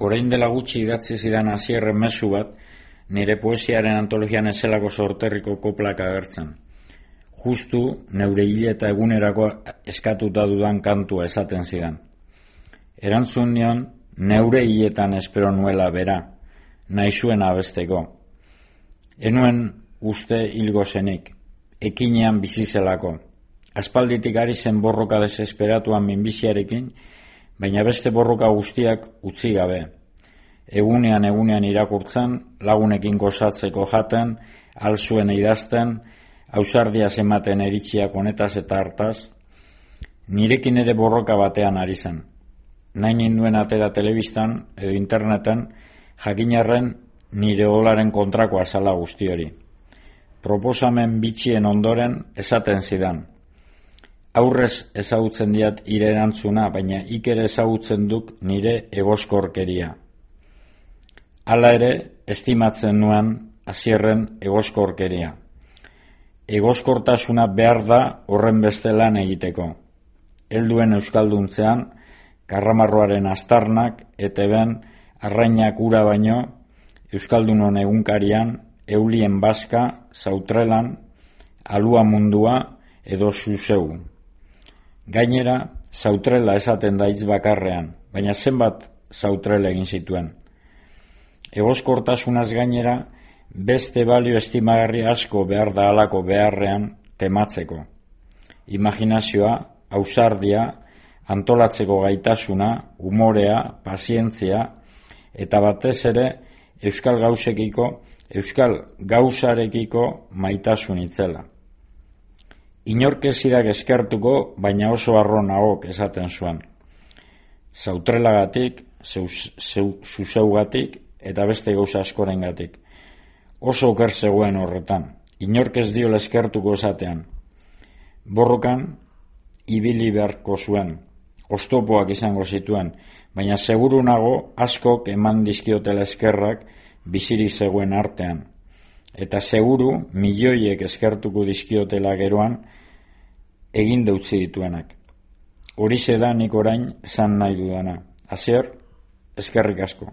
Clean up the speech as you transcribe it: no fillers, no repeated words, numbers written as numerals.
Orain dela gutxi idatzi zidan Asierren mezu bat, nire poesiaren antologian ezelako sorterriko koplak agertzen. Justu neure hile eta egunerako eskatuta dudan kantua esaten zidan. Erantzun nion, neure hiletan espero nuela bera, nahi zuen abesteko. Enuen uste hilgo zenik, ekinean bizizelako. Aspalditik ari zen borroka desesperatuan minbiziarekin, baina beste borroka guztiak utzi gabe. Egunean irakurtzen, lagunekin gozatzeko jaten, alzuen idazten, ausardiaz ematen eritxiak honetaz eta hartaz. Nirekin ere borroka batean ari zen. Nahi ninduen atera telebistan edo interneten, jakinarren nire olaren kontrako azala guzti hori. Proposamen bitxien ondoren esaten zidan. Aurrez ezagutzen diat ire erantzuna, baina ikere ezagutzen duk nire egoskorkeria. Hala ere, estimatzen nuan Asierren egoskorkeria. Egoskortasuna behar da horren beste lan egiteko. Helduen euskalduntzean, karramarroaren astarnak, eteben, arrainak ura baino, euskaldunon egunkarian, eulien baska, zautrelan, alua mundua edo zuzeu. Gainera, zautrela esaten da hitz bakarrean, baina zenbat zautrele egin zituen. Egoskortasunaz gainera, beste balio estimagarri asko behar da halako beharrean tematzeko. Imaginazioa, ausardia, antolatzeko gaitasuna, umorea, pazientzia, eta batez ere euskal gauzarekiko maitasun itzela. Inork ez zidak eskertuko, baina oso harro nagok esaten zuen. Zautrelagatik, zuzeugatik eta beste gauza askorengatik. Oso oker zegoen horretan, inork ez diola eskertuko esatean. Borrokan, ibili beharko zuen, oztopoak izango zituen, baina seguru nago askok eman dizkiotela eskerrak bizirik zegoen artean. Eta seguru milioiek eskertuko dizkiotela geroan egin deutzi dituenak. Horixe da nik orain esan nahi dudana. Asier, eskerrik asko.